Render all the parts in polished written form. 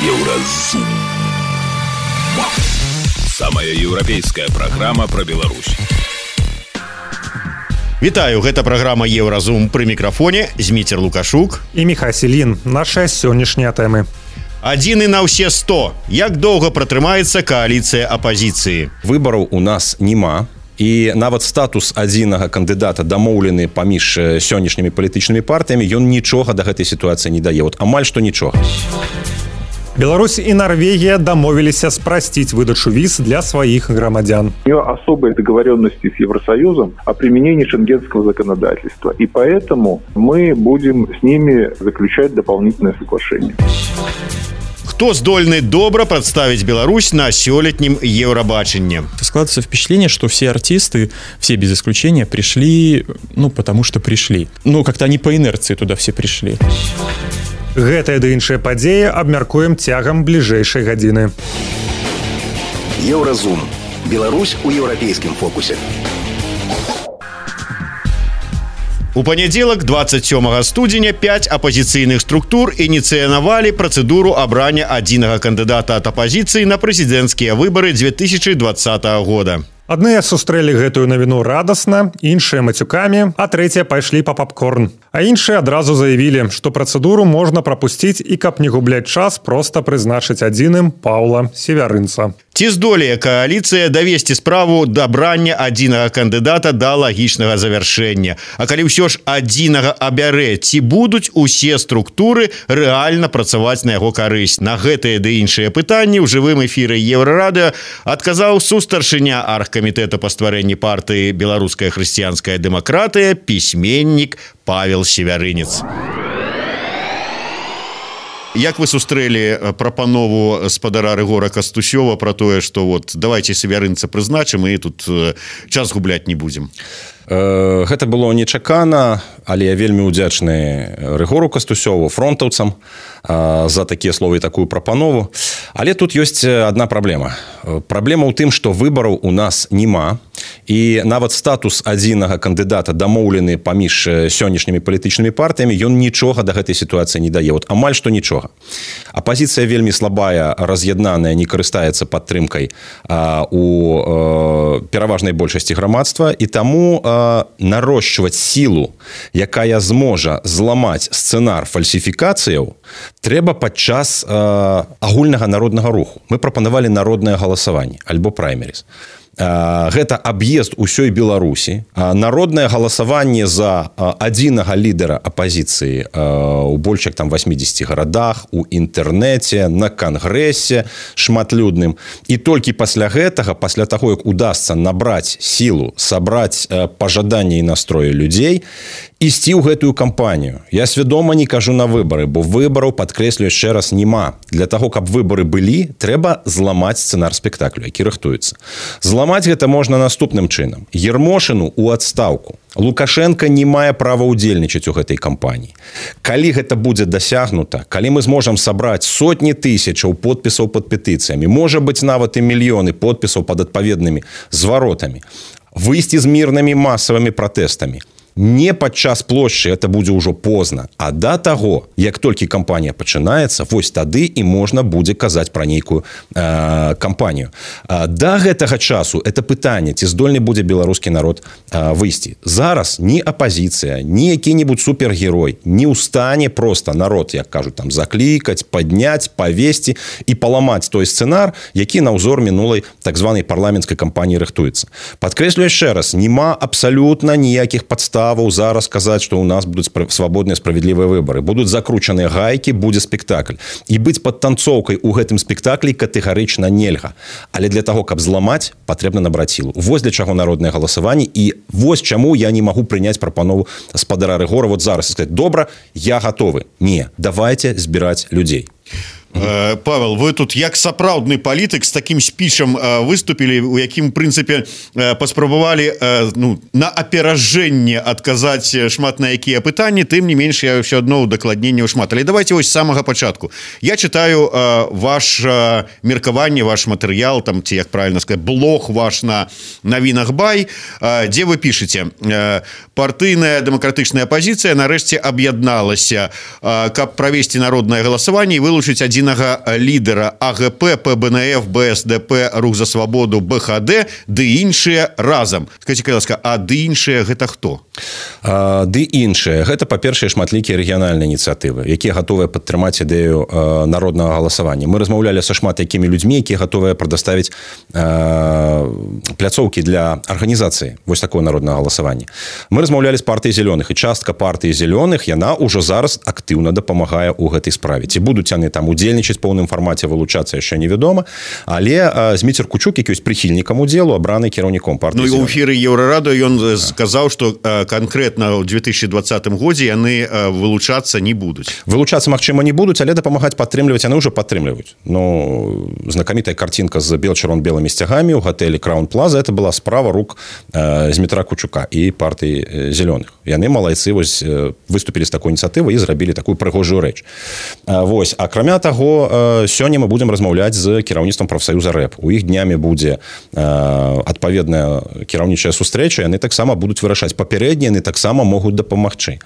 Еўразум. Самая еўрапейская праграма пра Беларусь. Вітаю, гэта праграма Еўразум, пры мікрафоне Зміцер Лукашук і Міхась Ілін. Наша сённяшнія тэмы. Адзіны на ўсе 100. Як доўга пратрымаецца кааліцыя апазіцыі? Выбараў у нас няма. І нават статус адзінага кандыдата дамоўлены паміж сённяшнімі палітычнымі партыямі, ён нічога да гэтай сітуацыі не дае. Амаль што нічога. Беларусь и Норвегия домовились спростить выдачу виз для своих громадян. У нее особые договоренности с Евросоюзом о применении шенгенского законодательства. И поэтому мы будем с ними заключать дополнительное соглашение. Кто здольны добра представить Беларусь на сёлетнем Евробаченне? Складывается впечатление, что все артисты, все без исключения, пришли, потому что пришли. Как-то они по инерции туда все пришли. Гэтая ды іншыя падзеі абмяркуем цягам бліжэйшай гадзіны. Еўразум. Беларусь у еўрапейскім фокусе. У панядзелак 27 студзеня 5 апазіцыйных структур ініцыянавалі працэдуру абрання адзінага кандыдата ад апазіцыі на прэзідэнцкія выбары 2020 года. Адныя сустрэлі гэтую навіну радасна, іншыя мацюкамі, а трэція пайшлі па папкорн. А іншыя адразу заявілі, што працэдуру можна прапусціць і, каб не губляць час, проста прызначыць адзіным Паўла Севярынца. Ці здолее кааліцыя давесці справу дабрання адзінага кандыдата да лагічнага завяршэння? А калі ўсё ж адзінага абярэ, ці будуць усе структуры рэальна працаваць на яго карысць? На гэтыя ды іншыя пытанні ў жывым эфіры Еўрарадыё адказаў сустаршыня аргкамітэта па стварэнні партыі «Беларуская хрысціянская дэмакратыя» пісьменнік Павел Севярынец. Як вы сустрэлі прапанову спадара Рыгора Кастусёва про тое, што давайте Севярынца прызначым і тут час губляць не будзем? Гэта было нечакана, але я вельмі ўдзячны Рыгору Кастусёву, фронтаўцам, за такія словы і такую прапанову. Але тут ёсць адна праблема. Праблема ў тым, што выбараў у нас няма, і нават статус адзінага кандыдата дамоўлены паміж сённяшнімі палітычнымі партыямі, ён нічога да гэтай сітуацыі не дае. Амаль што нічога. Апазіцыя вельмі слабая, раз'яднаная, не карыстаецца падтрымкай у пераважнай большасці грамадства, і таму нарошчваць сілу, якая зможа зламаць сцэнар фальсіфікацыяў, трэба падчас агульнага народнага руху. Мы прапанавалі народнае галасаванне, альбо праймеріз. Гэта аб'езд усёй Беларусі, народнае галасаванне за адзінага лідара апазіцыі у больш як 80 гарадах, у інтэрнэце, на кангрэсе шматлюдным. І толькі пасля гэтага, пасля таго, як удасца набраць сілу, сабраць пажаданне і настроі людзей, ісці ў гэтую кампанію. Я свядома не кажу на выбары, бо выбараў, падкрэслю яшчэ раз, няма. Для таго, каб выбары былі, трэба зламаць сцэнар спектаклю, які рыхтуецца. Зламаць гэта можна наступным чынам. Ермошыну ў адстаўку. Лукашенко не мае права ўдзельнічаць у гэтай кампаніі. Калі гэта будзе дасягнута, калі мы зможам сабраць сотні тысячаў подпісаў пад петыцыямі, можа быць нават і мільёны подпісаў пад адпаведнымі зваротамі, выйсці з мірнымі масавымі пратэстамі, не падчас плошчы, это будзе ўжо позна, а да таго, як толькі кампанія пачынаецца, вось тады і можна будзе казаць пра нейкую кампанію. Да гэтага часу это пытанне, ці здольны будзе беларускі народ выйсці. Зараз ні апазіцыя, ні які-небудзь супергерой не ў стане проста народ, як кажуць, заклікаць, падняць, павесці і паламаць той сцэнар, які на ўзор мінулай так званай парламенцкай кампаніі рыхтуецца. Падкрэслю яшчэ раз, няма абсалютна ніякіх падстав зараз казаць, што ў нас будуць свабодныя справядлівыя выбары. Будуць закручаныя гайкі, будзе спектакль. І быць падтанцоўкай у гэтым спектаклі катэгарычна нельга. Але для таго, каб зламаць, патрэбна набраць сілу. Вось для чаго народнае галасаванне, і вось чаму я не магу прыняць прапанову спадара Рыгора зараз і сказаць: добра, я гатовы. Не, давайте збіраць людзей. Павел, вы тут як сапраўдны палітык з такім спічам выступілі, у якім, в прынцыпе, паспрабавалі на аперажэнне адказаць шмат на якія пытанні, тым не менш я ўсё адно удакладненняў шмат. Але давайте вось з самага пачатку. Я чытаю ваш меркаванне, ваш матэрыял, ці, як правильно сказаць, блог ваш на навінах Бай, дзе вы пішаце: партыйная дэмакратычная апазіцыя нарэшце аб'ядналася, каб правесці народнае галасаванне і вылучыць адзін адзінага лідара АГП, ПБНФ, БСДП, Рух за свабоду, БХД, ды іншыя разам. Скажите, каласка, а ды іншыя гэта хто? Ды іншыя. Гэта, па-першае, шматлікія рэгіянальныя ініцыятывы, якія гатовыя падтрымаць ідэю народнага галасавання. Мы размаўлялі са шмат якімі людзьмі, якія гатовыя прадаставіць пляцоўкі для арганізацыі вось такого народнага галасавання. Мы размаўлялі з партыяй зялёных, і частка партыі зялёных, яна ўжо зараз актыўна дапамагае ў гэтай справе. Ці будуць яны там удзельнічаць у поўным фармаце, вылучацца яшчэ невядома, але Зміцер Кучук, які ёсць прыхільнікам удзелу, абраны кіраўніком партыі зялёных. Ну і ў эфіры Еўрарада ён сказаў, што конкретно в 2020 годзе яны вылучацца не будуць. Вылучацца, магчыма, не будуць, але дапамагаць падтрымліваць яны ўжо падтрымліваюць. Ну, знакамітая картинка з бел-чырвон-белымі сцягамі ў гатэлі Краун Плаза, это была справа рук Змітра Кучука і партыі зялёных. Яны малайцы вось выступілі з такой ініцыятывай і зрабілі такую прыгожую рэч. Вось, акрамя таго, сёння мы будзем размаўляць з кіраўніцтвам прафсаюза РЭП. У іх днямі будзе адпаведная кіраўнічая сустрэча, яны таксама будуць вырашаць. Папярэднія яны таксама могуць дапамагчы.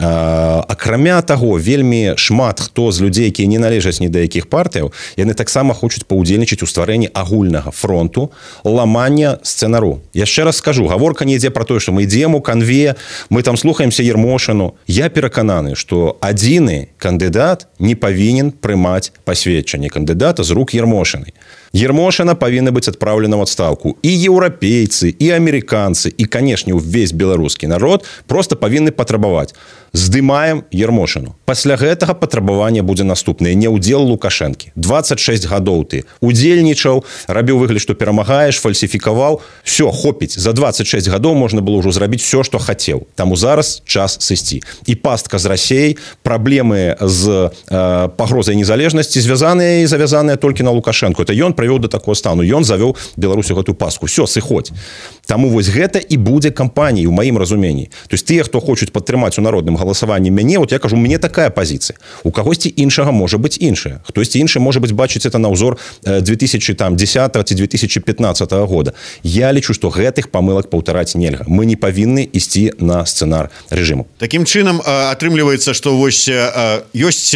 Акрамя таго, вельмі шмат хто з людзей, якія не належаць ні да якіх партыяў, яны таксама хочуць паўдзельнічаць у стварэнні агульнага фронту ламання сцэнару. Яшчэ раз скажу, гаворка не ідзе пра тое, што мы ідзем у канве, мы там слухаемся Ермошыну. Я перакананы, што адзіны кандыдат не павінен прымаць пасведчанне кандыдата з рук Ермошыны. Ермошына павінна быць адпраўлена ў адстаўку. І еўрапейцы, і амерыканцы, і, канешне, увесь беларускі народ проста павінны патрабаваць. Здымаем Ермошыну. Пасля гэтага патрабаванне будзе наступнае. Не ўдзел Лукашэнкі. 26 гадоў ты удзельнічаў, рабіў выгляд, што перамагаеш, фальсіфікаваў. Всё, хопіць. За 26 гадоў можна было ўжо зрабіць всё, што хацеў. Таму зараз час сысці. І пастка з Расіяй, праблемы з пагрозай незалежнасці звязаныя і завязаныя толькі на Лукашэнку. Это ён прывёў да такого стану. Ён завёў Беларусю гэтую пастку. Всё, сыходзь. Таму вось гэта і будзе кампаніяй у маім разуменні. То есть тыя, хто хочуць падтрымаць у народным галасаванні мяне, вот я кажу, мне такая пазіцыя. У кагосьці іншага можа быць іншая. Хтосьці іншы можа быць бачыць это на ўзор 2010 ці 2015 года. Я лічу, што гэтых памылак паўтараць нельга. Мы не павінны ісці на сцэнар рэжыму. Такім чынам атрымліваецца, што вось ёсць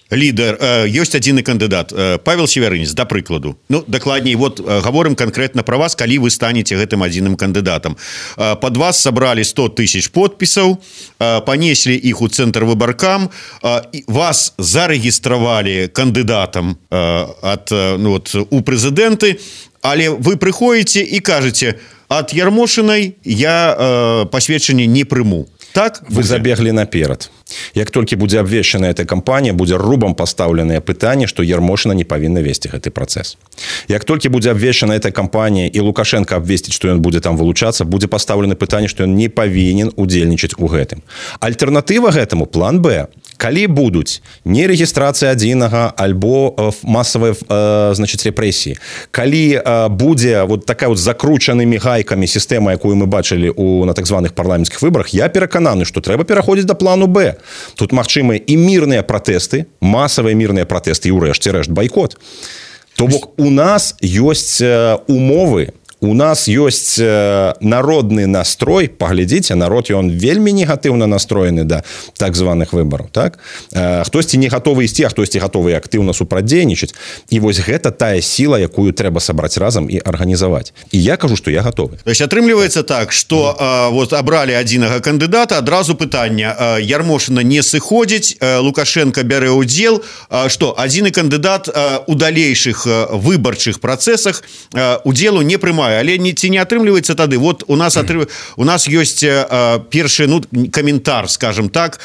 лідер, ёсць адзіны кандыдат, Павел Севярынец, да прыкладу. Ну, дакладней, вот гаворым канкрэтна пра вас, калі вы станеце гэтым адзіным кандыдатам. Пад вас сабралі 100 тысяч подпісаў, панеслі іх у цэнтр выбаркам, вас зарэгістравалі кандыдатам у прэзідэнты, але вы прыходзіце і кажаце, ад Ярмошынай я пасведчанне не прыму. Так? Вы забеглі наперад. Як толькі будзе абвешчана эта кампанія, будзе рубам пастаўленае пытанне, што Ярмошына не павінна весці гэты працэс. Як толькі будзе абвешчана эта кампанія і Лукашенко абвесціць, што ён будзе там вылучацца, будзе пастаўлена пытанне, што ён не павінен удзельнічаць у гэтым. Альтэрнатыва гэтаму план Б. Калі будуць не рэгістрацыя адзінага альбо масавыя рэпрэсіі, калі будзе вот такая вот закручанымі гайкамі сістэма, якую мы бачылі на так званых парламенцкіх выбарах, я перакананы, што трэба пераходзіць да плану Б. Тут магчымыя і мірныя пратэсты, масавыя мірныя пратэсты і ўрэшце рэшт байкот. То бок у нас ёсць умовы, у нас ёсць народны настрой, паглядзіце, народ ён вельмі негатыўна настроены да так званых выбараў, так? Хтосьці не гатовы ісці, а хтосьці гатовы актыўна супрацьдзейнічаць. І вось гэта тая сіла, якую трэба сабраць разам і арганізаваць. І я кажу, што я гатовы. То есть атрымліваецца так, што вот абралі адзінага кандыдата, адразу пытанне, Ярмошына не сыходзіць, Лукашенко бярэ ўдзел, што адзіны кандыдат у далейшых выбарчых працэсах удзелу не прымае. Але ці не атрымліваецца тады? Вот у нас ёсць першы каментар, скажем так,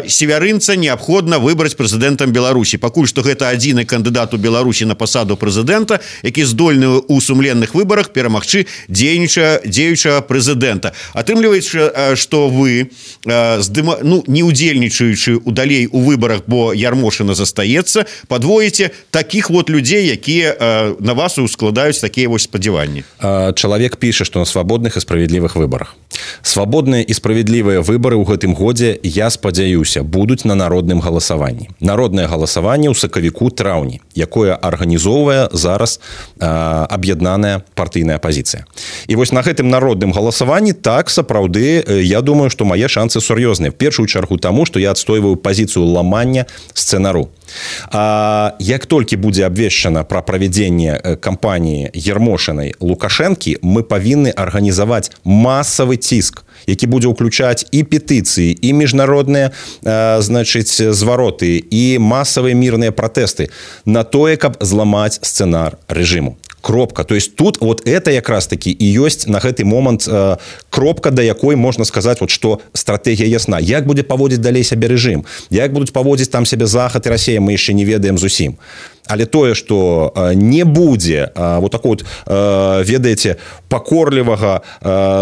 Севярынца неабходна выбраць прэзідэнтам Беларусі. Пакуль што гэта адзіны кандыдат у Беларусі на пасаду прэзідэнта, які здольны ў сумленных выбарах перамагчы дзеючага прэзідэнта. Атрымліваецца, што вы, не удзельнічаючы далей у выбарах, бо Ярмошына застаецца, падвоіце такіх вот людзей, якія на вас ускладаюць такія вось спадзяванні. Чалавек піша, што на свабодных і справядлівых выбарах. Свабодныя і справядлівыя выбары ў гэтым годзе, я спадзяюся, будуць на народным галасаванні. Народнае галасаванне ў сакавіку-траўні. якое арганізоўвае зараз аб'яднаная партыйная апазіцыя. І вось на гэтым народным галасаванні так сапраўды я думаю, што мае шансы сур'ёзныя. В першую чаргу таму, што я адстойваю пазіцыю ламання сцэнару. Як толькі будзе абвешчана пра правядзенне кампаніі Ермошынай Лукашэнкі, мы павінны арганізаваць масавы ціск, які будзе ўключаць і петыцыі, і міжнародныя звароты, і масавыя мірныя пратэсты на тое, каб зламаць сцэнар рэжыму. Кропка. То есть тут вот это якраз таки і ёсць на гэты момант кропка, да якой можна сказаць, вот, што стратэгія ясна. Як будзе паводзіць далей сябе рэжым, як будуць паводзіць там сябе Захад і Расія, мы яшчэ не ведаем зусім. Але тое, што не будзе вот такого вот, ведаеце, пакорлівага,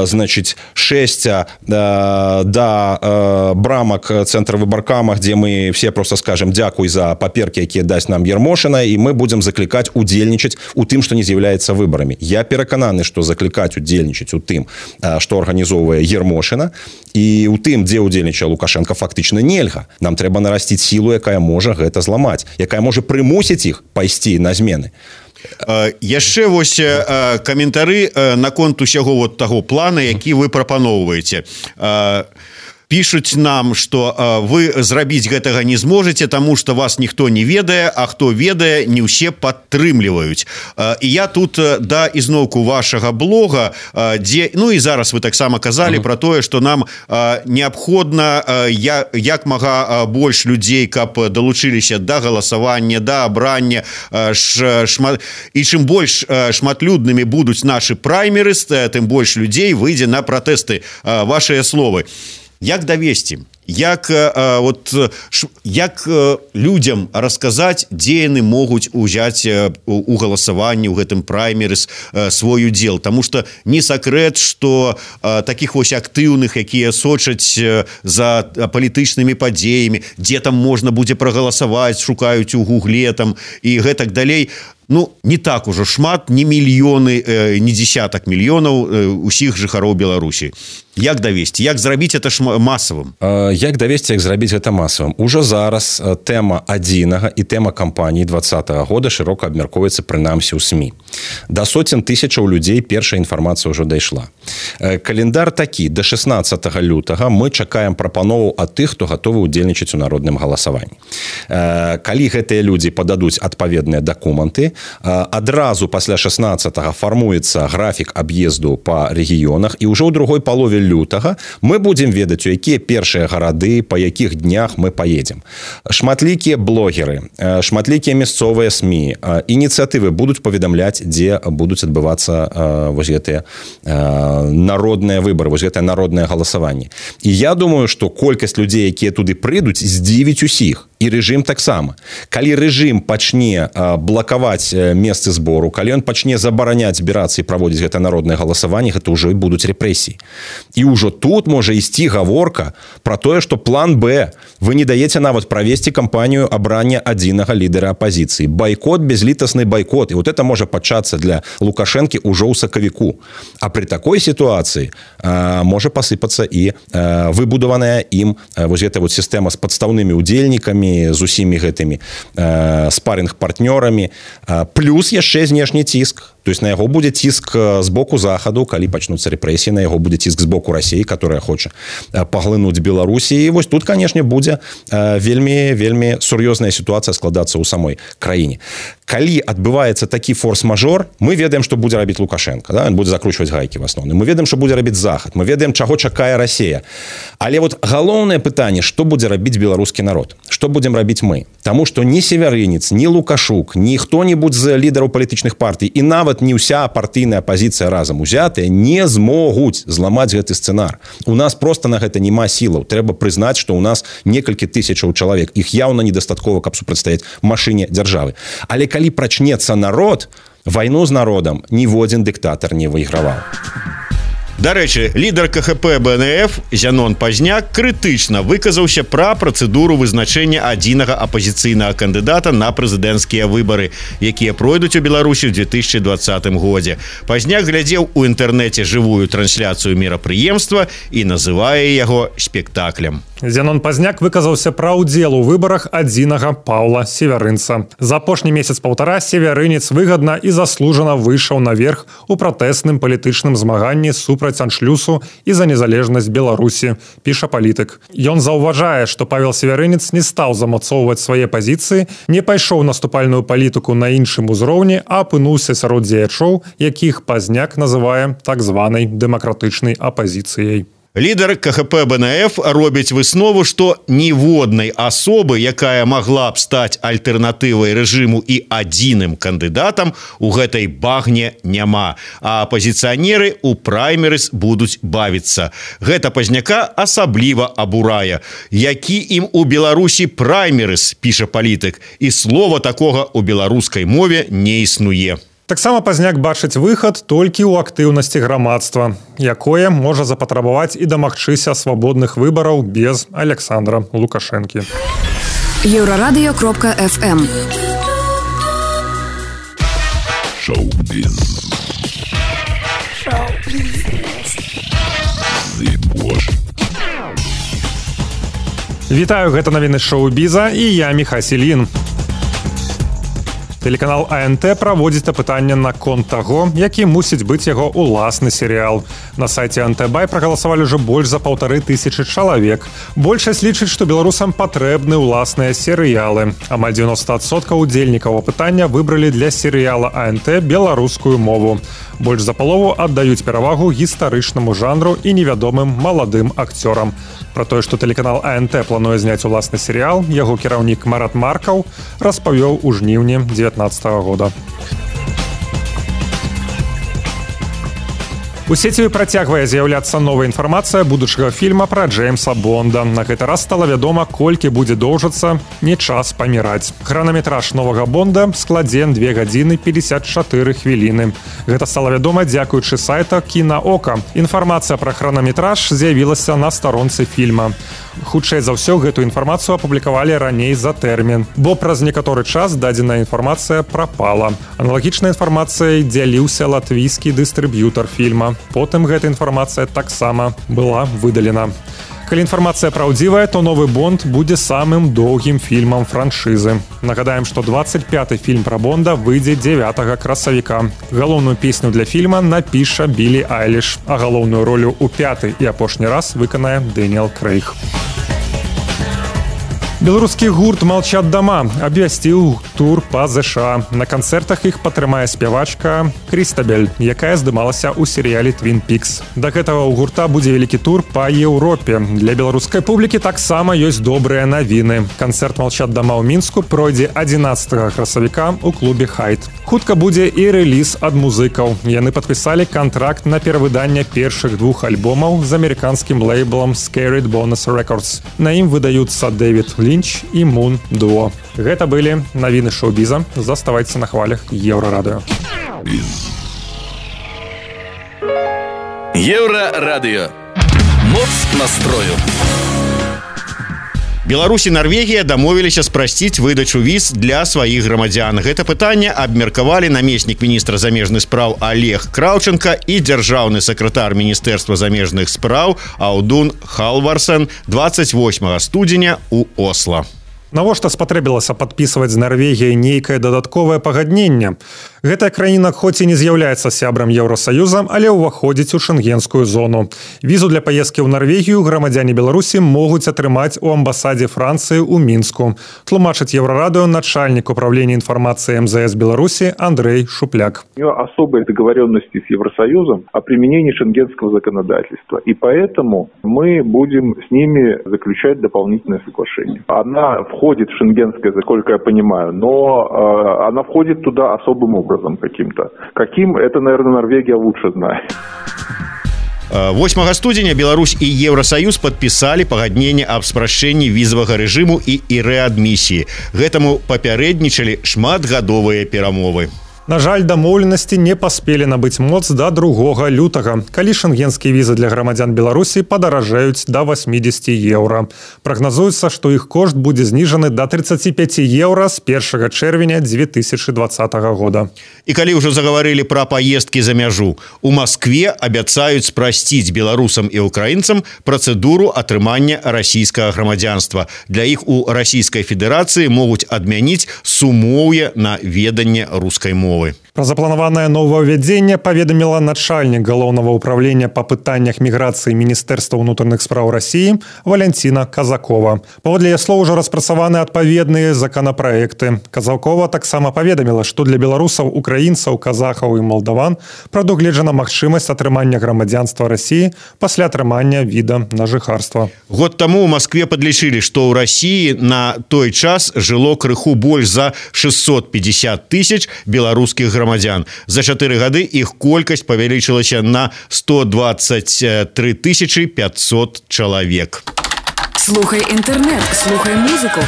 значыць, шэсця да брамак цэнтра выбаркама, дзе мы все просто скажем дзякуй за паперкі, якія дасць нам Ермошына, і мы будзем заклікаць удзельнічаць у тым, што не з'яўляецца выбарамі. Я перакананы, што заклікаць удзельнічаць у тым, што арганізоўвае Ермошына, і у тым, дзе удзельнічае Лукашенко, фактычна нельга. Нам трэба нарасціць сілу, якая можа гэта зламаць, якая можа прымусіць іх пайсці на змены. Яшчэ вось каментары наконт усяго вот таго плана, які вы прапаноўваеце. Пишуць нам, што вы зрабіць гэтага не зможаце, таму што вас ніхто не ведае, а хто ведае, не ўсе падтрымліваюць. І я тут да ізноўку вашага блога, дзе, ну і зараз вы таксама казалі пра тое, што нам неабходна як мага больш людзей, каб далучыліся да галасавання, да абрання, і чым больш шматлюднымі будуць нашы праймерыс, тым больш людзей выйдзе на пратэсты. Вашыя словы. Як давесці? Як людзям расказаць, дзе яны могуць узяць у галасаванні ў гэтым праймерыс свой удзел? Таму што не сакрэт, што такіх вось актыўных, якія сочаць за палітычнымі падзеямі, дзе там можна будзе прагаласаваць, шукаюць у гугле там і гэтак далей. Ну, не так ужо шмат, не мільёны, не десятак мільёнаў усіх жыхароў Беларусі. Як давесці? Як зрабіць это масавым? Як давесці, як зрабіць гэта масавым? Ужо зараз тэма адзінага і тэма кампаніі 2020 года шырока абмяркоўваецца прынамсі ў СМІ. Да сотен тысячаў людзей першая інфармацыя ўжо дайшла. Календар такі. Да 16 лютага мы чакаем прапановаў ад тых, хто гатовы ўдзельнічаць у народным галасаванні. Калі гэтыя людзі пададуць адпаведныя дакументы, адразу пасля 16-го фармуецца графік аб'езду па рэгіёнах, і ўжо ў другой палове лютага мы будзем ведаць, у якія першыя гарады, па якіх днях мы паедзем. Шматлікія блогеры, шматлікія мясцовыя СМІ, ініцыятывы будуць паведамляць, дзе будуць адбывацца вось гэтыя народныя выбары, вось гэтае народнае галасаванне. І я думаю, што колькасць людзей, якія туды прыйдуць, здзівіць усіх. І рэжым таксама. Калі рэжым пачне блакаваць месцы збору, калі ён пачне забараняць збірацца і праводзіць гэта народнае галасаванне, гэта ўжо і будуць рэпрэсіі. І ўжо тут можа ісці гаворка пра тое, што план Б. Вы не даеце нават правесці кампанію абрання адзінага лідара апазіцыі. Байкот, безлітасны байкот. І вот это можа пачацца для Лукашэнкі ўжо ў сакавіку. А пры такой сітуацыі можа пасыпацца і выбудаваная ім вось гэта вот сістэма з падстаўнымі ўдзельнікамі, з усімі гэтымі спарынг-партнёрамі, плюс яшчэ знешні ціск. То есть на яго будзе ціск з боку Захаду, калі пачнуцца рэпрэсіі, на яго будзе ціск з боку Расіі, которая хоча паглынуць Беларусі. І вось тут, канешне, будзе вельмі сур'ёзная сітуацыя складацца ў самой краіне. Калі адбываецца такі форс-мажор, мы ведаем, што будзе рабіць Лукашенко. Да? Ён будзе закручваць гайкі в асноўным. Мы ведаем, што будзе рабіць Захад. Мы ведаем, чаго чакае Расія. Але вот галоўнае пытанне, што будзе рабіць беларускі народ? Што будзем рабіць мы? Таму што ні Севярынец, ні Лукашук, ні хто-небудзь з лідараў палітычных партый, і нават не ўся партыйная апазіцыя разам узятая не змогуць зламаць гэты сцэнар. У нас просто на гэта няма сілаў. Трэба прызнаць, што ў нас некалькі тысячаў чалавек. Іх яўна недастаткова, каб супрацьстаяць машыне дзяржавы. Але калі прачнецца народ, вайну з народам ніводзін дыктатар не выйграваў. Дарэчы, лідар КХП БНФ Зянон Пазняк крытычна выказаўся пра працэдуру вызначэння адзінага апазіцыйнага кандыдата на прэзідэнцкія выбары, якія пройдуць у Беларусі ў 2020 годзе. Пазняк глядзеў у інтэрнэце жывую трансляцыю мерапрыемства і называе яго спектаклем. Зянон Пазняк выказаўся пра ўдзел у выбарах адзінага Паўла Севярынца. За апошні месяц-паўтара севярынец выгадна і заслужана выйшаў наверх у пратэсным палітычным змаганні супраць аншлюсу і за незалежнасць Беларусі, піша палітык. Ён заўважае, што Павел Севярынец не стаў замацоўваць свае пазіцыі, не пайшоў наступальную палітыку на іншым узроўні, а апынуўся сярод дзеячоў, якіх Пазняк называе так званай дэмакратычнай апазіцыяй. Лідар КХП БНФ робіць выснову, што ніводнай асобы, якая магла б стаць альтэрнатывай рэжыму і адзіным кандыдатам, у гэтай багне няма, а апазіцыянеры ў праймерыз будуць бавіцца. Гэта Пазняка асабліва абурае. Які ім у Беларусі праймерыз, піша палітык, і слова такога ў беларускай мове не існуе. Таксама Пазняк бачыць выхад толькі ў актыўнасці грамадства, якое можа запатрабаваць і дамагчыся свабодных выбараў без Александра Лукашэнкі. Еврорадио.FM Шоу-біз. Вітаю, гэта навіны шоу-біза і я Міхась Ільін. Тэлеканал АНТ праводзіць апытанне наконт таго, які мусіць быць яго ўласны серыял. На сайце АНТ-Бай прагаласавалі ўжо больш за 1500 чалавек. Большасць лічыць, што беларусам патрэбны ўласныя серыялы. Амаль 90% удзельнікаў апытання выбралі для серыяла АНТ беларускую мову. Больш за палову аддаюць перавагу гістарычнаму жанру і невядомым маладым акцёрам. Пра тое, што тэлеканал АНТ плануе зняць уласны серыял, яго кіраўнік Марат Маркаў распавёў у жніўні 2019 года. У сеціве працягвае з'яўляцца новая інфармацыя будучага фільма пра Джеймса Бонда. На гэты раз стала вядома, колькі будзе доўжыцца «Не час паміраць». Хранаметраж новага Бонда складзе 2 гадзіны 54 хвіліны. Гэта стала вядома дзякуючы сайта «Кінаока». Інфармацыя пра хранаметраж з'явілася на старонцы фільма. Хутчэй за ўсё, гэту інфармацыю апублікавалі раней за тэрмін, бо праз некаторы час дадзеная інфармацыя прапала. Аналагічнай інфармацыяй дзяліўся латвійскі дыстрыб'ютар фільма. Потым гэта інфармацыя таксама была выдалена. Калі інфармацыя праўдзівая, то новы Бонд будзе самым доўгім фільмам франшызы. Нагадаем, што 25-й фільм пра Бонда выйдзе 9 красавіка. Галоўную песню для фільма напіша Білі Айліш, а галоўную ролю ў 5-й і апошні раз выканае Дэніэл Крэйг. Беларускі гурт «Молчат дома» абвясціў тур па ЗША. На канцэртах іх падтрымае спявачка Крістабель, якая здымалася ў серыяле «Твін Пікс». Да гэтага ў гурта будзе вялікі тур па Еўропе. Для беларускай публікі таксама ёсць добрыя навіны. Канцэрт «Молчат дома» ў Мінску пройдзе 11 красавіка ў клубе «Хайт». Хутка будзе і рэліз ад музыкаў. Яны падпісалі кантракт на перавыданне першых 2 альбомаў з амерыканскім лейблам Scared Bonus Records. На ім выдаюцца Дэвід Лінч і Мун Дуо. Гэта былі навіны шоу-біза. Заставайцеся на хвалях Еўрарадыё. Еўрарадыё. Моц настрою. Беларусь і Нарвегія дамовіліся спрасціць выдачу віз для сваіх грамадзян. Гэта пытанне абмеркавалі намеснік міністра замежных спраў Олег Краўченка і дзяржаўны сакратар Міністэрства замежных спраў Аудун Халварсен 28 студзеня ў Осла. Навошта спатрэбілася падпісваць з Нарвегіяй нейкае дадатковае пагадненне? Гэтая краіна хоць і не з'яўляецца сябрам Еўросаюза, але ўваходзіць у шэнгенскую зону. Візу для паездкі ў Нарвегію грамадзяне Беларусі могуць атрымаць у амбасадзе Францыі ў Мінску. Тлумачыць Еўрарадыё начальнік управления информации МЗС Беларуси Андрей Шупляк. У нее особые договоренности с Евросоюзом о применении шенгенского законодательства. И поэтому мы будем с ними заключать дополнительное соглашение. Она входит в шенгенское, насколько я понимаю, но она входит туда особым образом каким-то. Каким, это, наверное, Норвегия лучше знает. 8 студзеня Беларусь і Еўросаюз падпісалі пагадненне аб спрашчэнні візавага рэжыму і рэадмісіі. Гэтаму папярэднічалі шматгадовыя перамовы. На жаль, дамоўленасці не паспелі набыць моц да 2 лютага, калі шэнгенскія візы для грамадзян Беларусі падаражаюць да 80 еўра. Прагназуецца, што іх кошт будзе зніжаны да 35 еўра з 1 чэрвеня 2020 года. І калі ўжо загаварылі пра паездкі за мяжу, у Маскве абяцаюць спрасціць беларусам і украінцам працэдуру атрымання расійскага грамадзянства. Для іх у Расійскай Федэрацыі могуць адмяніць сумоўе на веданне рускай мовы. Пра запланаванае новаўвядзенне паведаміла начальнік галоўнага ўправлення па пытаннях міграцыі Міністэрства ўнутраных спраў Расіі Валянціна Казакова. Паводле яе слоў, ужо распрацаваны адпаведныя законапраекты. Казакова таксама паведаміла, што для беларусаў, украінцаў, казахаў і малдаван прадугледжана магчымасць атрымання грамадзянства Расіі пасля атрымання віда на жыхарства. Год таму ў Маскве падлічылі, што ў Расіі на той час жыло крыху больш за 650 тысяч беларускіх грамадзян. За 4 гады іх колькасць павялічылася на 123 500 чалавек. Слухай інтэрнэт, слухай музыку.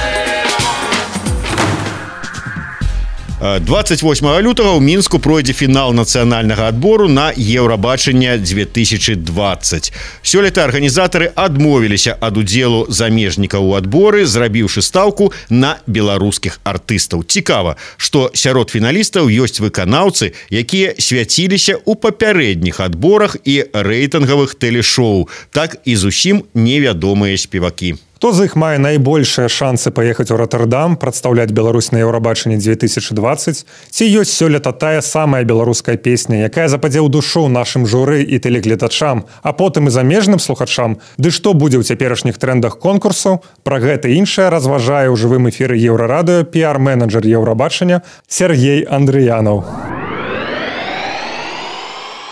28 лютага ў Мінску пройдзе фінал нацыянальнага адбору на Еўрабачанне 2020. Сёлета арганізатары адмовіліся ад удзелу замежнікаў у адборы, зрабіўшы стаўку на беларускіх артыстаў. Цікава, што сярод фіналістаў ёсць выканаўцы, якія свяціліся ў папярэдніх адборах і рэйтынгавых тэлешоу, так і зусім невядомыя спевакі. Хто з іх мае найбольшыя шансы паехаць у Роттердам, прадстаўляць Беларусь на Еўрабачанні 2020, ці ёсць сёлета тая самая беларуская песня, якая западзе ў душу нашым журы і тэлегледачам, а потым і замежным слухачам? Ды што будзе ў цяперашніх трендах конкурсу? Пра гэта іншае разважае ў жывым эфіры Еўрарадыё піар-менеджер Еўрабачання Сергей Андрыянаў.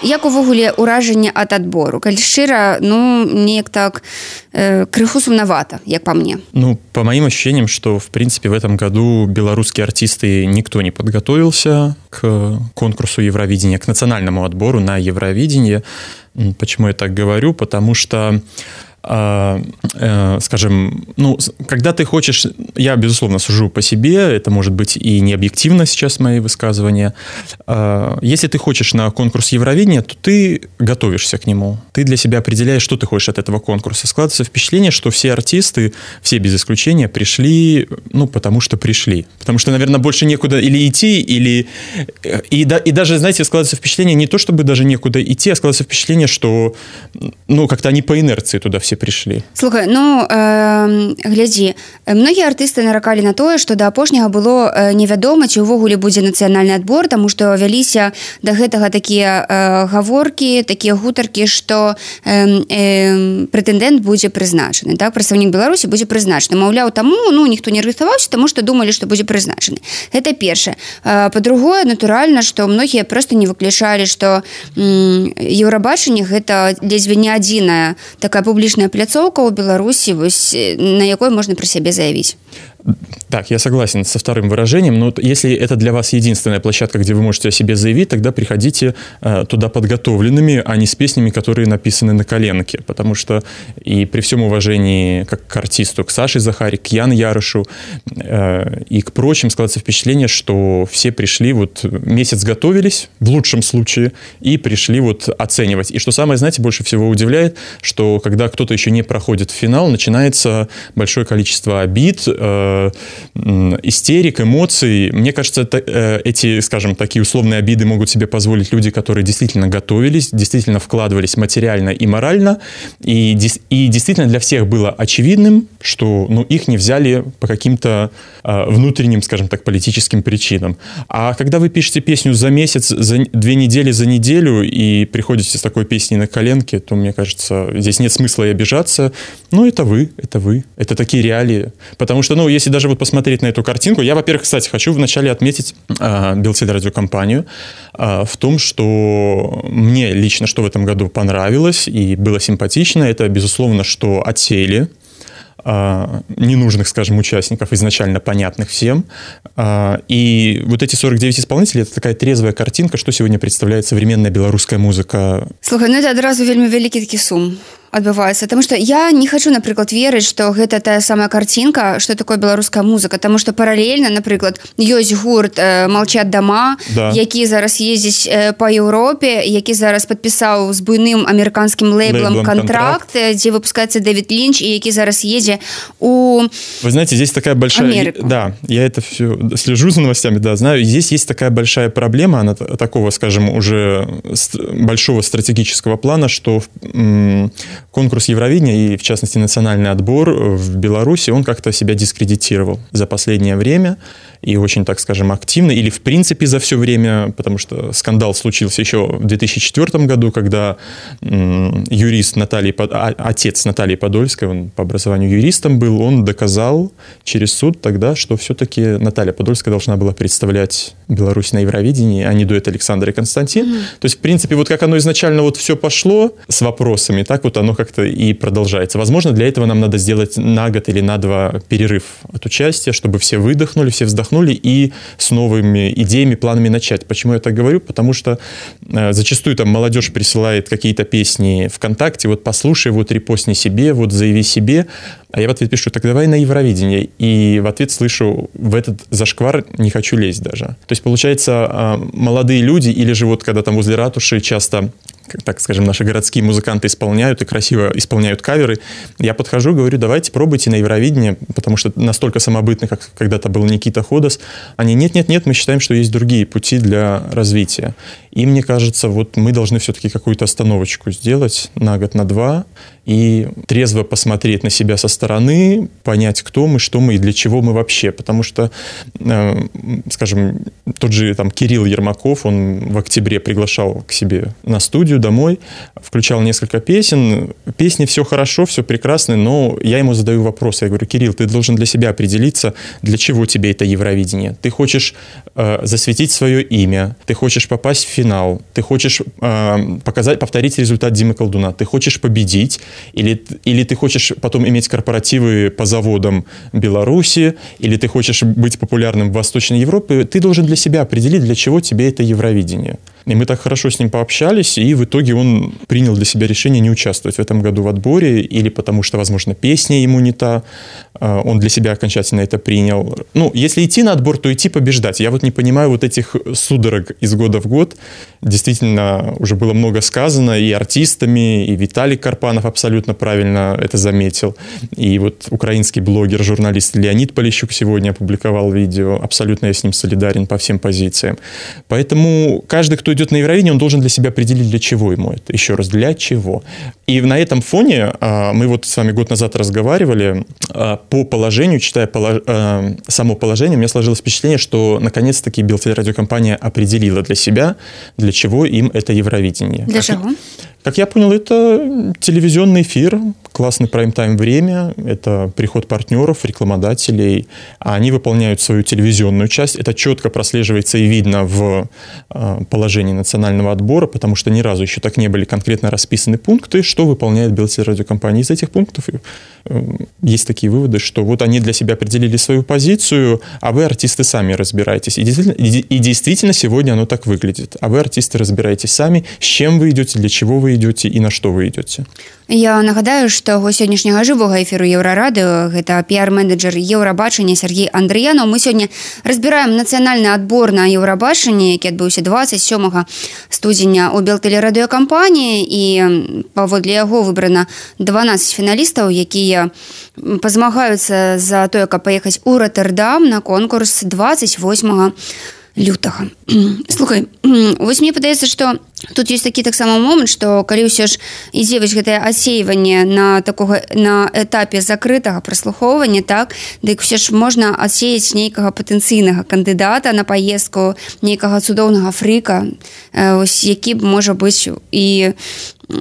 Як увогуле ўражанне ад адбору? Калі шчыра, неяк так крыху сумновато, як по мне. По моим ощущениям, что, в принципе, в этом году белорусские артисты никто не подготовился к конкурсу Евровидения, к национальному отбору на Евровидение. Почему я так говорю? Потому что скажем, когда ты хочешь, я, безусловно, сужу по себе, это может быть и не объективно сейчас мои высказывания. Если ты хочешь на конкурс Евровидения, то ты готовишься к нему. Ты для себя определяешь, что ты хочешь от этого конкурса. Складывается впечатление, что все артисты, все без исключения, пришли, потому что пришли. Потому что, наверное, больше некуда или идти, или... И даже, знаете, складывается впечатление не то, чтобы даже некуда идти, а складывается впечатление, что, как-то они по инерции туда все пришли. Слухай, глядзі, многія артысты наракалі на тое, што да апошняга было невядома, ці ўвогуле будзе нацыянальны адбор, таму што вяліся да гэтага такія гаворкі, такія гутаркі, што прэтэндэнт будзе прызначаны, так, прадстаўнік Беларусі будзе прызначаны. Маўляў, таму, ніхто не рыхтаваўся, таму што думалі, што будзе прызначаны. Гэта першае. Па-другое, натуральна, што многія проста не выключалі, што Еўрабачанне гэта ледзьве не адзіная такая публічная пляцоўка ў Беларусі, на якой можно про себя заявить. Так, я согласен со вторым выражением, но если это для вас единственная площадка, где вы можете о себе заявить, тогда приходите туда подготовленными, а не с песнями, которые написаны на коленке, потому что и при всем уважении как к артисту, к Саше Захари, к Яну Ярышу и к прочим, складывается впечатление, что все пришли, месяц готовились, в лучшем случае, и пришли оценивать. И что самое, знаете, больше всего удивляет, что когда кто-то еще не проходит в финал, начинается большое количество обид, истерик, эмоций. Мне кажется, эти, скажем, такие условные обиды могут себе позволить люди, которые действительно готовились, действительно вкладывались материально и морально, и действительно для всех было очевидным, что их не взяли по каким-то внутренним, скажем так, политическим причинам. А когда вы пишете песню за месяц, за 2 недели, за неделю и приходите с такой песней на коленке, то, мне кажется, здесь нет смысла и обижаться. Это вы. Это такие реалии. Потому что, если даже посмотреть на эту картинку, я, во-первых, кстати, хочу вначале отметить Белтелерадиокомпанию в том, что мне лично, что в этом году понравилось и было симпатично, это, безусловно, что отсеяли ненужных, скажем, участников, изначально понятных всем. И эти 49 исполнителей — это такая трезвая картинка, что сегодня представляет современная белорусская музыка. Слухай, это одразу вельмі вялікі такі сум. адбываецца, потому что я не хочу, напрыклад, верыць, что гэта тая самая картинка, что такое беларуская музыка, потому что параллельно, напрыклад, ёсць гурт «Молчат дома», які зараз ездзіць по Еўропе, які зараз подпісаў з буйным амерыканскім лейблом контракт, дзе выпускаецца Дэвид Лінч, і які зараз едзе у Вы знаете, здесь такая большая... Америку. Да, я это все слежу за новостями, да, знаю. Здесь есть такая большая проблема, она такого, скажем, уже большого стратегического плана, что конкурс Евровидения и, в частности, национальный отбор в Беларуси, он как-то себя дискредитировал за последнее время и очень, так скажем, активно, или в принципе за все время, потому что скандал случился еще в 2004 году, когда юрист отец Натальи Подольской, он по образованию юристом был, он доказал через суд тогда, что все-таки Наталья Подольская должна была представлять Беларусь на Евровидении, а не дуэт Александр и Константин. То есть, в принципе, вот как оно изначально вот все пошло с вопросами, так вот оно как-то и продолжается. Возможно, для этого нам надо сделать на год или на 2 перерыв от участия, чтобы все выдохнули, все вздохнули и с новыми идеями, планами начать. Почему я так говорю? Потому что зачастую там молодежь присылает какие-то песни ВКонтакте, вот послушай, вот репостни себе, вот заяви себе, а я в ответ пишу, так давай на Евровидение. И в ответ слышу, в этот зашквар не хочу лезть даже. То есть, получается, молодые люди, или же вот когда там возле ратуши часто, так скажем, наши городские музыканты исполняют и красиво исполняют каверы, я подхожу, говорю, давайте пробуйте на Евровидение, потому что настолько самобытны, как когда-то был Никита Ходос. Они, нет, мы считаем, что есть другие пути для развития. И мне кажется, вот мы должны все-таки какую-то остановочку сделать на год, на 2, и трезво посмотреть на себя со стороны, понять, кто мы, что мы и для чего мы вообще. Потому что, скажем, тот же там Кирилл Ермаков, он в октябре приглашал к себе на студию домой, включал несколько песен. Песни все хорошо, все прекрасно, но я ему задаю вопрос. Я говорю, Кирилл, ты должен для себя определиться, для чего тебе это Евровидение. Ты хочешь засветить свое имя, ты хочешь попасть в финал, ты хочешь повторить результат Димы Колдуна, ты хочешь победить, или ты хочешь потом иметь корпоративы по заводам Беларуси, или ты хочешь быть популярным в Восточной Европе, ты должен для себя определить, для чего тебе это Евровидение. И мы так хорошо с ним пообщались, и в итоге он принял для себя решение не участвовать в этом году в отборе, или потому что, возможно, песня ему не та, он для себя окончательно это принял. Ну, если идти на отбор, то идти побеждать. Я вот не понимаю вот этих судорог из года в год. Действительно, уже было много сказано и артистами, и Виталий Карпанов абсолютно правильно это заметил. И вот украинский блогер, журналист Леонид Полищук сегодня опубликовал видео. Абсолютно я с ним солидарен по всем позициям. Поэтому каждый, кто идет на Евровидение, он должен для себя определить, для чего ему это. Еще раз, для чего. И на этом фоне мы вот с вами год назад разговаривали по положению, читая само положение, у меня сложилось впечатление, что наконец-таки Белтелерадиокомпания определила для себя, для чего им это Евровидение. Для чего? Как я понял, это телевизионный эфир, классный прайм-тайм время, это приход партнеров, рекламодателей, а они выполняют свою телевизионную часть. Это четко прослеживается и видно в положении национального отбора, потому что ни разу еще так не были конкретно расписаны пункты, что выполняет Белтелерадиокомпания. Из этих пунктов есть такие выводы, что вот они для себя определили свою позицию, а вы, артисты, сами разбираетесь. И действительно сегодня оно так выглядит. А вы, артисты, разбираетесь сами, с чем вы идете, для чего вы идете и на что вы идете. Я нагадаю, што сённяшняга жывога эфіру Еўрарадыо гэта піар-менеджер Еўрабачання Сергей Андрыянаў. Мы сёння разбіраем нацыянальны адбор на Еўрабачанні, які адбыўся 27 студзеня ў Белтелерадыёкампаніі, і паводле яго выбрана 12 фіналістаў, якія пазмагаюцца за тое, каб паехаць у Роттердам на конкурс 28 лютага. Слухай, вось мне падаецца, што тут есть такі таксама момант, што калі ўсё ж ідзе вось гэтае адсеиванне на этапе закрытага праслухоўвання, так, дык ўсё ж можна адсеяць нейкага патэнцыйнага кандыдата на паездку, нейкага цудоўнага фрыка, ось які б, можа быць, і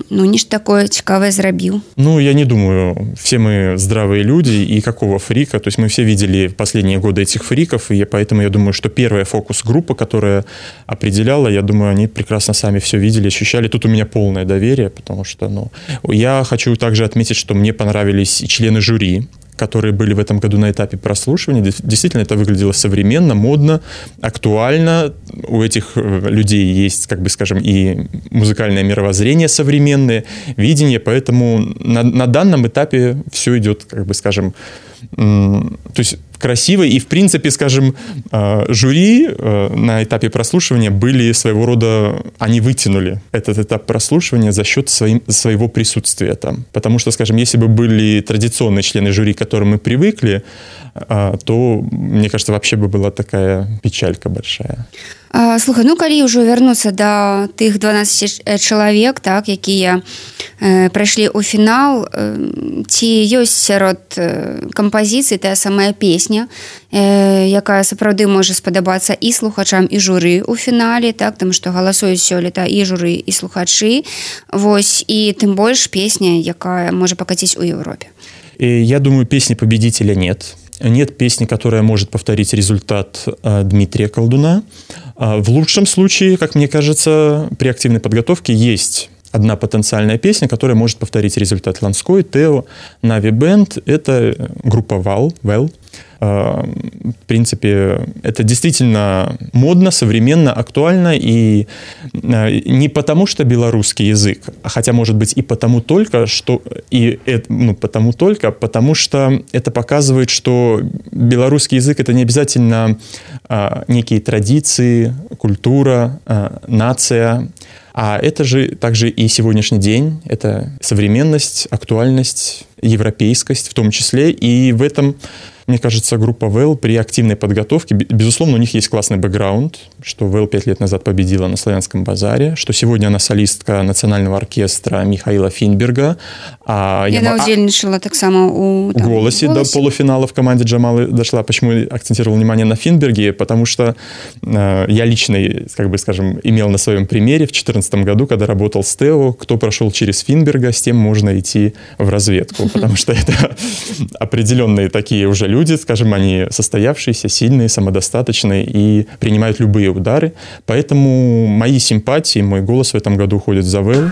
нечто такое цікавое зрабіў. Я не думаю, все мы здравые люди, и какого фрика, то есть мы все видели в последние годы этих фриков, и поэтому я думаю, что первая фокус-группа, которая определяла, я думаю, они прекрасно сами все видели, ощущали. Тут у меня полное доверие, потому что, я хочу также отметить, что мне понравились и члены жюри, которые были в этом году на этапе прослушивания, действительно это выглядело современно, модно, актуально. У этих людей есть, как бы скажем, и музыкальное мировоззрение современное, видение, поэтому на данном этапе все идет, как бы скажем, то есть красиво, и в принципе, скажем, жюри на этапе прослушивания были своего рода, они вытянули этот этап прослушивания за счет своего присутствия там, потому что, скажем, если бы были традиционные члены жюри, к которым мы привыкли, то, мне кажется, вообще бы была такая печалька большая. Слухай, ну калі ўжо вярнуцца да тых 12 чалавек, так, якія прайшлі ў фінал, ці ёсць сярод кампазіцый тая самая песня, якая сапраўды можа спадабацца і слухачам, і журы ў фінале, так, таму што галасуюць сёлета і журы, і слухачы, вось, і тым больш песня, якая можа пакаціць у Европе. Я думаю, песни победителя нет. Нет песни, которая может повторить результат Дмитрия Колдуна. В лучшем случае, как мне кажется, при активной подготовке есть одна потенциальная песня, которая может повторить результат Ланской, Тео, Нави Бенд. Это группа Well. В принципе, это действительно модно, современно, актуально, и не потому, что белорусский язык, хотя, может быть, и потому только, что потому что это показывает, что белорусский язык — это не обязательно некие традиции, культура, нация, а это же также и сегодняшний день, это современность, актуальность, европейскость в том числе, и в этом, мне кажется, группа Well при активной подготовке, безусловно, у них есть классный бэкграунд, что Well 5 лет назад победила на Славянском базаре, что сегодня она солистка национального оркестра Михаила Финберга. Яна удзельнічала таксама у «Голосе» до полуфинала в команде Джамалы дошла. Почему я акцентировал внимание на Финберге? Потому что я лично, как бы скажем, имел на своем примере в 2014 году, когда работал с Тео, кто прошел через Финберга, с тем можно идти в разведку, потому что это определенные такие уже люди, скажем, они состоявшиеся, сильные, самодостаточные и принимают любые удары. Поэтому мои симпатии, мой голос в этом году уходит за Well.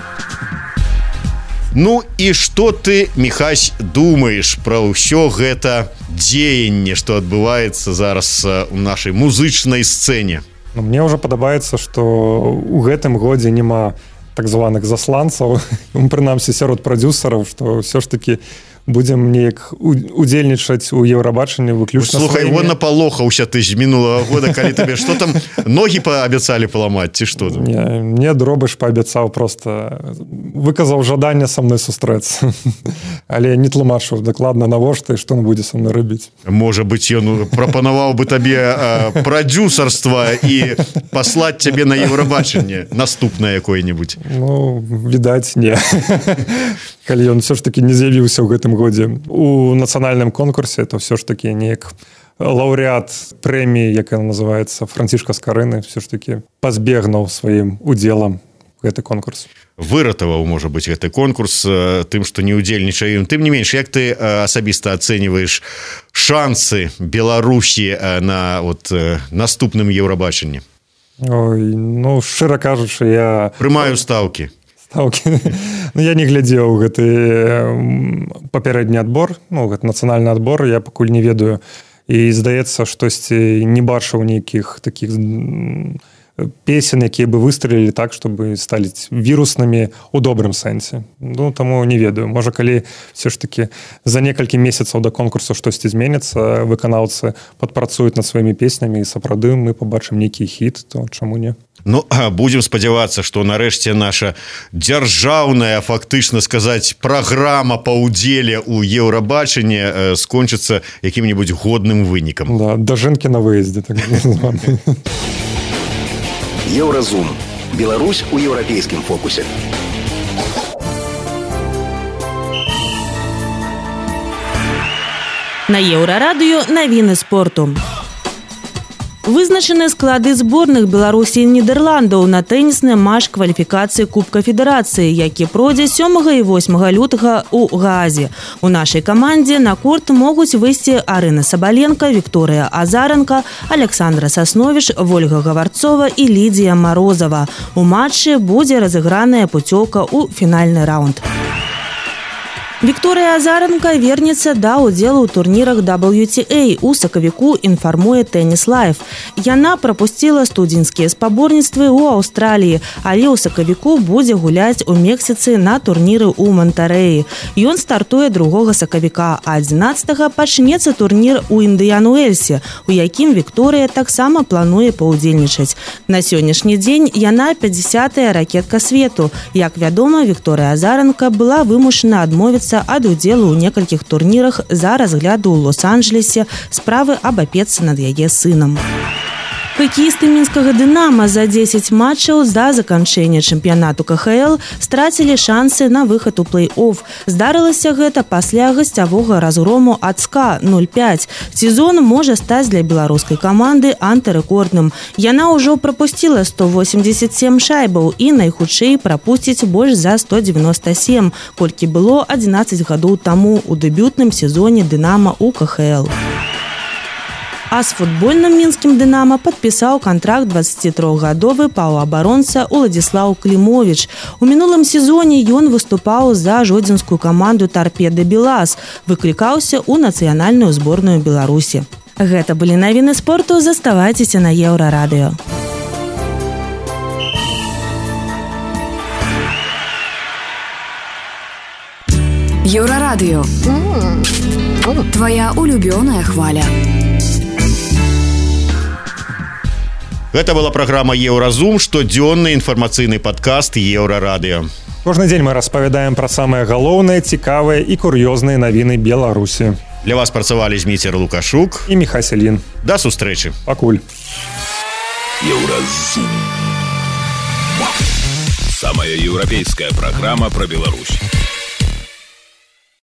Ну і што ты, Міхась, думаеш пра ўсё гэта дзеянне, што адбываецца зараз у нашай музычнай сцэне? Ну, мне ўжо падабаецца, што ў гэтым годзе няма так званых засланцаў, прынамсі сярод прадзюсараў, што ўсё ж такі будзем неяк удзельнічаць у Еўрабачанні выключна. Слухай, вон напалохаўся ты з мінулага года, калі табе што там ногі паабяцалі паламаць, ці што там? Мне Дробыш паабяцаў, просто выказаў жаданне са мной сустрэцца. Але не тлумачыў дакладна навошта і што ён будзе са мной рабіць. Можа быць, ён прапанаваў бы табе прадзюсарства і паслаць цябе на Еўрабачанне наступнае якое-небудзь. Ну, відаць, не. Калі ён все ж таки не з'явіўся ў гэтым годзе у нацыянальным конкурсе, то все ж таки неяк лаўрэат прэміі, якая называецца Францішка Скарыны, все ж таки пазбегнуў сваім удзелам гэты конкурс. Выратаваў, можа быць, гэты конкурс тым, што не ўдзельнічае ім. Тым не менш, як ты асабіста ацэньваеш шансы Беларусі на наступным Еўрабачанні? Ой, ну, шчыра кажучы, я прымаю стаўкі. Ну, я не глядзеў гэты папярэдні адбор, ну, гэты нацыянальны адбор, я пакуль не ведаю, і здаецца, штосьці не бачыў нейкіх такіх песен, якія бы выстрелілі так, чтобы сталі віруснымі ў добрым сэнсе. Ну, таму не ведаю. Можа, калі все ж таки за некалькі месяцаў да конкурсу штосьці зменіцца, выканаўцы падпрацуюць над сваімі песнямі і сапраўды мы пабачым нейкі хіт, то чаму не? Ну, будем спадзявацца, што нарэшце наша дзяржаўная, фактычна сказаць, праграма па ўдзеле ў Еўрабачанні скончыцца якім-небудзь годным вынікам. Да, да жэнкі на выездзе, так званы. Еўразум. Беларусь у еўрапейскім фокусе. На Еўрарадыё навіны спорту. Вызначаны склады зборных Беларусі і Нідерландаў на тэнісны матч кваліфікацыі Кубка Федэрацыі, які пройдзе 7 і 8 лютага ў Гаазе. У нашай камандзе на корт могуць выйсці Арына Сабаленка, Вікторыя Азаранка, Александра Сасновіш, Вольга Гаварцова і Лідзія Марозава. У матчы будзе разыграная пуцёўка ў фінальны раунд. Вікторыя Азаранка вернецца да ўдзелу ў турнірах WTA. У сакавіку інфармуе Tennis Life. Яна прапусціла студзеньскія спаборніцтвы ў Аўстраліі, але ў сакавіку будзе гуляць у Мексіцы на турніры ў Монтэрэі. Ён стартуе 2 сакавіка, а 11 пачнецца турнір у Індыян-Уэльсе, у якім Вікторыя таксама плануе паўдзельнічаць. На сённяшні дзень яна 50-я ракетка свету. Як вядома, Вікторыя Азаранка была вымушана адмовіцца ад удзелу ў некалькіх турнірах за разгляду ў Лос-Анджелесе справы аб апецы над яе сынам. Хакеісты мінскага «Дынама» за 10 матчаў да заканчэння чэмпіянату КХЛ страцілі шансы на выхад у плэй-офф. Здарылася гэта пасля гасцявога разгрому ад СКА 0-5. Сезон можа стаць для беларускай каманды антырэкордным. Яна ўжо прапусціла 187 шайбаў і найхутчэй прапусціць больш за 197, колькі было 11 гадоў таму ў дэбютным сезоне «Дынама» у КХЛ. А з футбольным мінскім «Дынама» падпісаў кантракт 23-гадовы паўабаронца Уладзіслаў Клімовіч. У мінулым сезоне ён выступаў за жодзінскую каманду «Тарпеда Белас», выклікаўся ў нацыянальную зборную Беларусі. Гэта былі навіны спорту, заставайцеся на Еўрарадыё. Еўрарадыё. Твоя улюбёная хваля. Гэта была праграма «Еўразум», штодзённы інфармацыйны падкаст «Еўрарадыё». Кожны дзень мы распавядаем пра самыя галоўныя, цікавыя і кур'ёзныя навіны Беларусі. Для вас працавалі Зміцер Лукашук і Міхась Селін. Да сустрэчы. Пакуль. Еўразум. Самая еўрапейская праграма пра Беларусь.